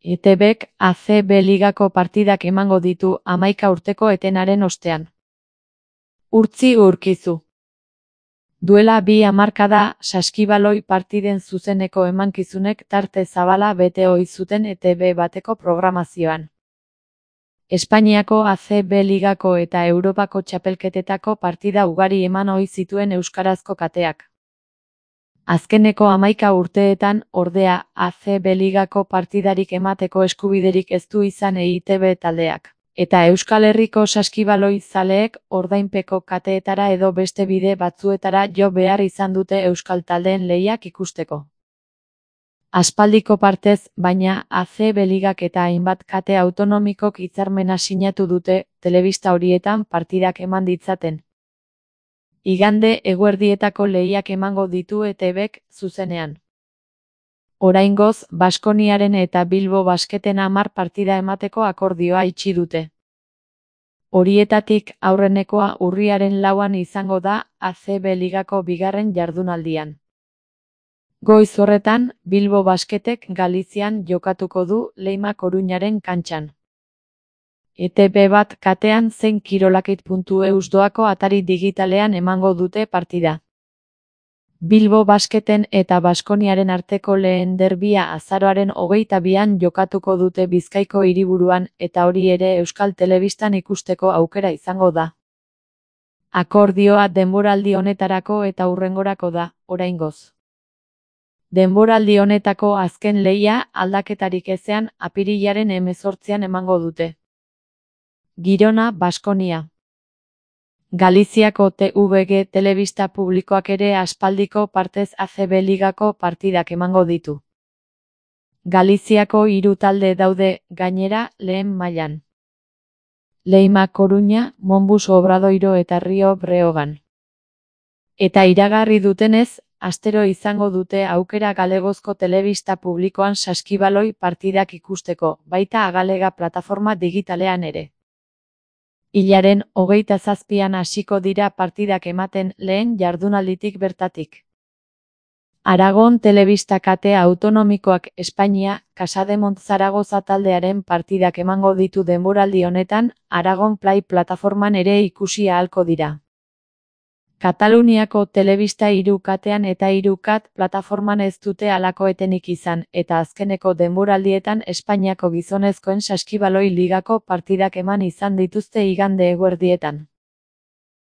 ETBk ACB ligako partidak emango ditu 11 urteko etenaren ostean. Urtzi Urkizu. Duela 2 hamarkada, saskibaloi partiden zuzeneko emankizunek tarte zabala bete ohi zuten ETB bateko programazioan. Espainiako ACB ligako eta Europako txapelketetako partida ugari eman ohi zituen euskarazko kateak. Azkeneko 11 urteetan, ordea, ACB ligako partidarik emateko eskubiderik ez du izan EITB taldeak. Eta Euskal Herriko saskibaloi zaleek ordainpeko kateetara edo beste bide batzuetara jo behar izan dute euskal taldeen lehiak ikusteko. Aspaldiko partez, baina ACB ligak eta hainbat kate autonomikok hitzarmena sinatu dute telebista horietan partidak eman ditzaten. Igande eguerdietako lehiak emango ditu ETBk zuzenean. Oraingoz, Baskoniaren eta Bilbo Basketen 10 partida emateko akordioa itxi dute. Horietatik aurrenekoa urriaren 4an izango da ACB ligako 2. jardunaldian. Goiz horretan, Bilbo Basketek Galizian jokatuko du Leima Koruñaren kantxan. ETB bat katean zein kirolakit.eus doako atari digitalean emango dute partida. Bilbo Basketen eta Baskoniaren arteko lehen derbia azaroaren 22an jokatuko dute Bizkaiko hiriburuan eta hori ere Euskal Telebistan ikusteko aukera izango da. Akordioa denboraldi honetarako eta hurrengorako da, oraingoz. Denboraldi honetako azken lehia aldaketarik ezean apirilaren 18an emango dute. Girona, Baskonia. Galiziako TVG telebista publikoak ere aspaldiko partez ACB ligako partidak emango ditu. Galiziako 3 talde daude, gainera, lehen mailan. Leima Koruña, Monbus Obradoiro eta Rio Breogan. Eta iragarri dutenez, astero izango dute aukera galegozko telebista publikoan saskibaloi partidak ikusteko, baita Agalega plataforma digitalean ere. Hilaren 27an hasiko dira partidak ematen lehen jardunalditik bertatik. Aragon telebista kate autonomikoak Espainia, Casademont Zaragoza taldearen partidak emango ditu denboraldi honetan, Aragon Play plataforman ere ikusi ahalko dira. Kataluniako telebista 3 katean eta 3 kat plataforman ez dute halako etenik izan, eta azkeneko denboraldietan Espainiako gizonezkoen saskibaloi ligako partidak eman izan dituzte igande eguerdietan.